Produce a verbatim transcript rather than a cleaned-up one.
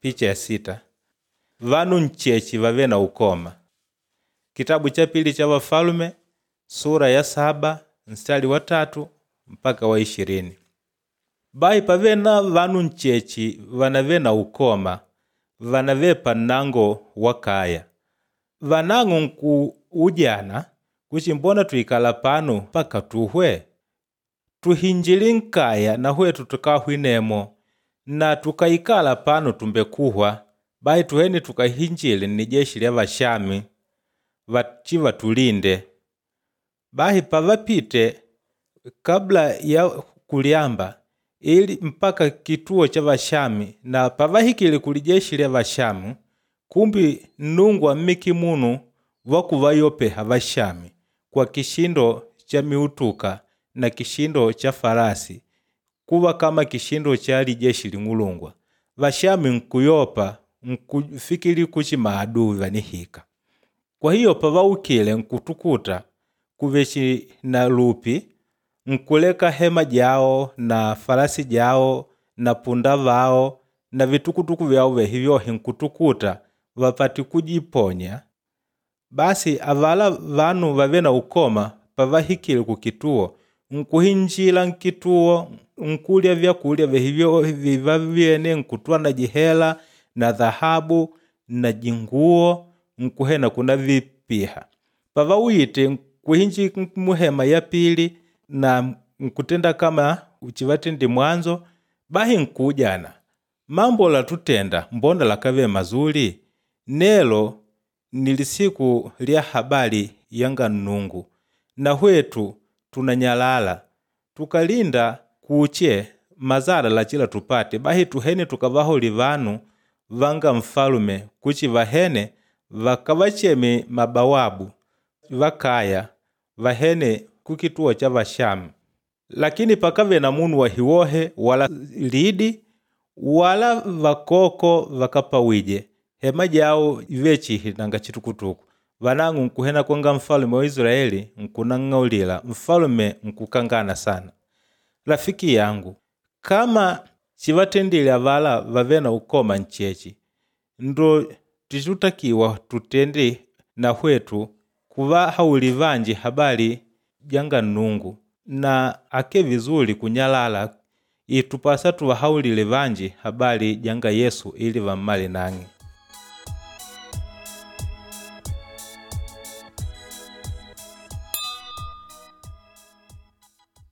Picha ya sita. Vanu nchechi vave na ukoma. Kitabu cha pili cha Wafalume sura ya saba mstari wa tatu mpaka wa ishirini. Bayi pave na vanu nchechi vanave na ukoma vanave pannango wa kaya. Vanang'o nku ujana kuchi mbona twikala pano mpaka tuhwe? Tuhinjili nkaya na hwetu tukahwinemo na tukaikala pano tumbekuhwa. Bayi tuhene tukahinjile ni jeshi lya Vashami vachi vatulinde. Bahi pavapite kabla ya kulyamba ili mpaka kituo cha Vashami na pavahikile kulijeshi lya Vashamu kumbi Nnungu ammiki munu wakuvayopeha Vashami kwa kishindo cha miutuka na kishindo cha farasi kuva kama kishindo cha lijeshi ling'ulungwa. Vashami nkuyopa nkufikili kuchi maadui vanihika. Kwa hiyo pavaukile nkutukuta kuvechi na lupi nkuleka hema jao na farasi jao na punda vao na vitukutuku vyao vehi vyohe nkutukuta vapati kujiponya. Basi avala vanu vave na ukoma pavahikile kukituo nkuhinjila nkituo nkulya vyakulya vehi vyohe vivavyene nkutwa na jihela na dhahabu na jinguo nkuhena kuna vipiha. Pavawite nkuhinji muhema ya pili na nkutenda kama uchivatendi mwanzo bahi nkujana mambo latutenda mbona lakave mazuri nelo ni lisiku lya habari yanga Nnungu na hwetu tunanyalala tukalinda kuche mazala lachila tupate bahi tuhene tukavaholi vanu vanga mfalume kuchi vahene vakavacheme mabawabu vakaya vahene kukituo cha Vashamu. Lakini pakave na munu wahiwohe wala lidi wala vakoko vakapawije hema jao ivechihi nanga chitukutuku. Vanang'o nkuhena kwanga mfalume wa Israeli nkunang'aulila mfalume nkukangana sana. Rafiki yangu kama chivatendile avala vave na ukoma nchechi ndo tichitakiwa tutende na hwetu kuvahauli vanji habari janga Nnungu na ake vizuri kunyalala itupasa tuvahaulile vanji habari janga Yesu ili vammale nang'e.